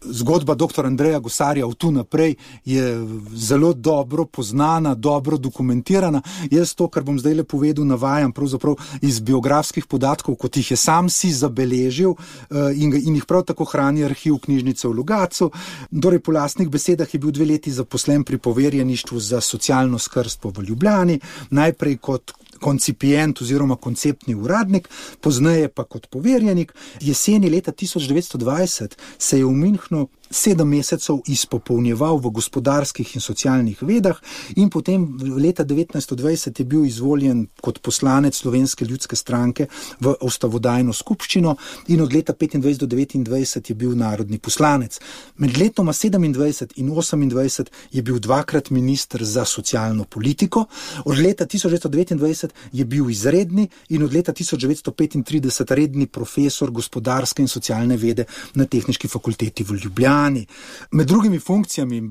Zgodba dr. Andreja Gosarja od tu naprej je zelo dobro poznana, dobro dokumentirana. Jaz to, kar bom zdaj povedal, navajam pravzaprav iz biografskih podatkov, kot jih je sam si zabeležil in jih prav tako hrani arhiv knjižnice v Logatcu. Torej, po lastnih besedah je bil 2 leti zaposlen pri poverjeništvu za socialno skrbstvo v Ljubljani, najprej kot koncipient oziroma konceptni uradnik, pozneje pa kot poverjenik. Jeseni leta 1920 se je v Münchnu 7 mesecev izpopolnjeval v gospodarskih in socialnih vedah in potem leta 1920 je bil izvoljen kot poslanec Slovenske ljudske stranke v ustavodajno skupščino in od leta 25 do 29 je bil narodni poslanec. Med letoma 27 in 28 je bil 2-krat minister za socialno politiko, od leta 1929 je bil izredni in od leta 1935 redni profesor gospodarske in socialne vede na Tehniški fakulteti v Ljubljani. Med drugimi funkcijami,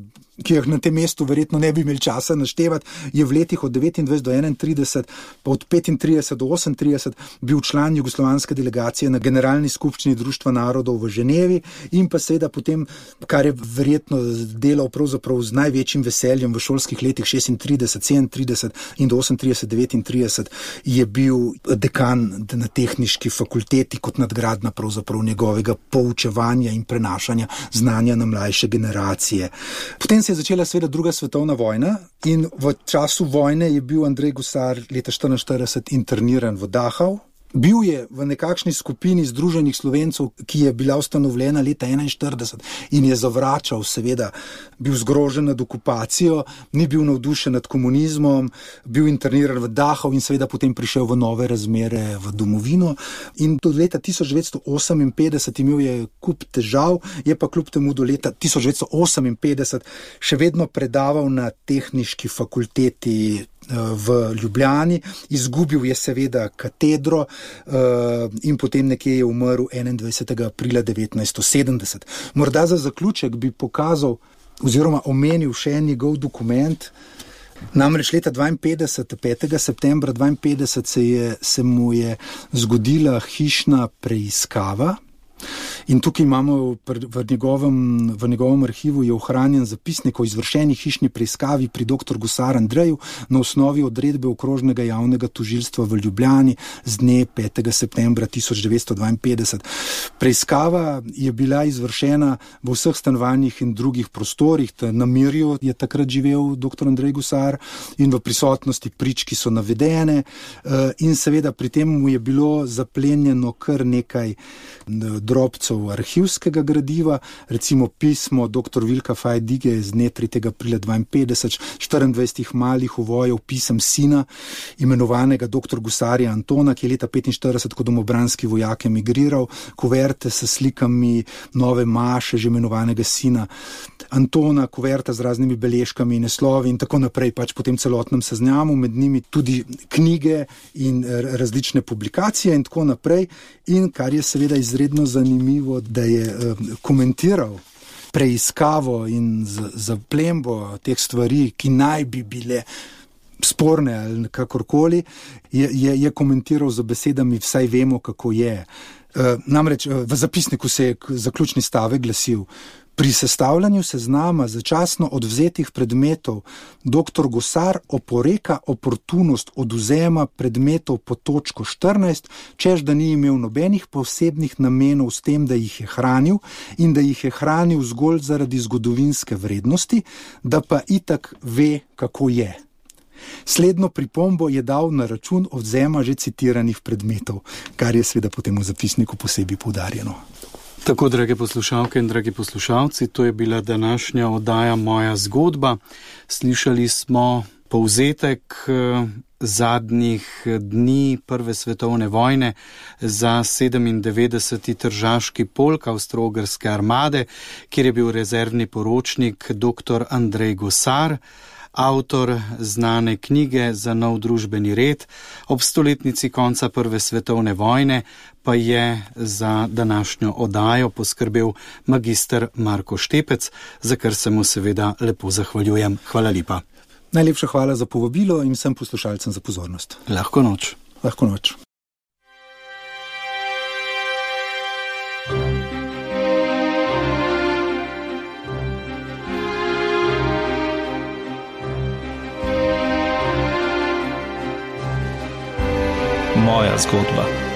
ki jih na tem mestu verjetno ne bi imeli časa naštevati, je v letih od 29 do 31, pa od 35 do 38 bil član jugoslovanske delegacije na Generalni skupščini Društva narodov v Ženevi in pa seveda potem, kar je verjetno delal pravzaprav z največjim veseljem v šolskih letih 36, 37 in do 38, 39, je bil dekan na Tehniški fakulteti kot nadgradna pravzaprav njegovega poučevanja in prenašanja znanja na mlajše generacije. Potem se je začela seveda 2. svetovna vojna in v času vojne je bil Andrej Gosar leta 1944 interniran v Dachau. Bil je v nekakšni skupini Združenih Slovencev, ki je bila ustanovljena leta 1941 in je zavračal, seveda, bil zgrožen nad okupacijo, ni bil navdušen nad komunizmom, bil interniran v Dachau in seveda potem prišel v nove razmere v domovino. In do leta 1958 imel je kup težav, je pa kljub temu do leta 1958 še vedno predaval na Tehniški fakulteti v Ljubljani, izgubil je seveda katedro in potem nekje je umrl 21. aprila 1970. Morda za zaključek bi pokazal oziroma omenil še en njegov dokument. Namreč leta 52, 5. septembra 52 se mu je zgodila hišna preiskava. In tukaj imamo v njegovem arhivu je ohranjen zapisnik o izvršeni hišni preiskavi pri dr. Gosar Andreju na osnovi odredbe okrožnega javnega tožilstva v Ljubljani z dne 5. septembra 1952. Preiskava je bila izvršena v vseh stanovanjih in drugih prostorih. Na Mirju je takrat živel dr. Andrej Gosar in v prisotnosti prič, ki so navedene, in seveda pri tem mu je bilo zaplenjeno kar nekaj drobcev arhivskega gradiva, recimo pismo dr. Vilka Fajdige z dne 3. aprila 52, 24 malih uvojev pisem sina, imenovanega dr. Gosarja Antona, ki je leta 45 kot domobranski vojak emigriral, kuverte s slikami nove maše, že imenovanega sina Antona, kuverta z raznimi beležkami in naslovi in tako naprej, pač po tem celotnem seznamu, med njimi tudi knjige in različne publikacije in tako naprej. In kar je seveda izredno zanimivo, da je komentiral preiskavo in zaplembo teh stvari, ki naj bi bile sporne ali kakorkoli, je komentiral z besedami vsaj vemo, kako je. Namreč v zapisniku se je zaključni stavek glasil: pri sestavljanju seznama začasno odvzetih predmetov dr. Gosar oporeka oportunost odvzema predmetov po točko 14, češ da ni imel nobenih posebnih namenov s tem, da jih je hranil in da jih je hranil zgolj zaradi zgodovinske vrednosti, da pa itak ve, kako je. Slednjo pripombo je dal na račun odvzema že citiranih predmetov, kar je seveda potem v zapisniku posebej poudarjeno. Tako, drage poslušalke in dragi poslušalci, to je bila današnja oddaja Moja zgodba. Slišali smo povzetek zadnjih dni Prve svetovne vojne za 97. tržaški polk Avstro-Ogrske armade, kjer je bil rezervni poročnik dr. Andrej Gosar, avtor znane knjige Za nov družbeni red. Ob 100-letnici konca Prve svetovne vojne pa je za današnjo oddajo poskrbel magister Marko Štepec, za kar se mu seveda lepo zahvaljujem. Hvala lepa. Najlepša hvala za povabilo in vsem poslušalcem za pozornost. Lahko noč. Lahko noč. moja zgodba.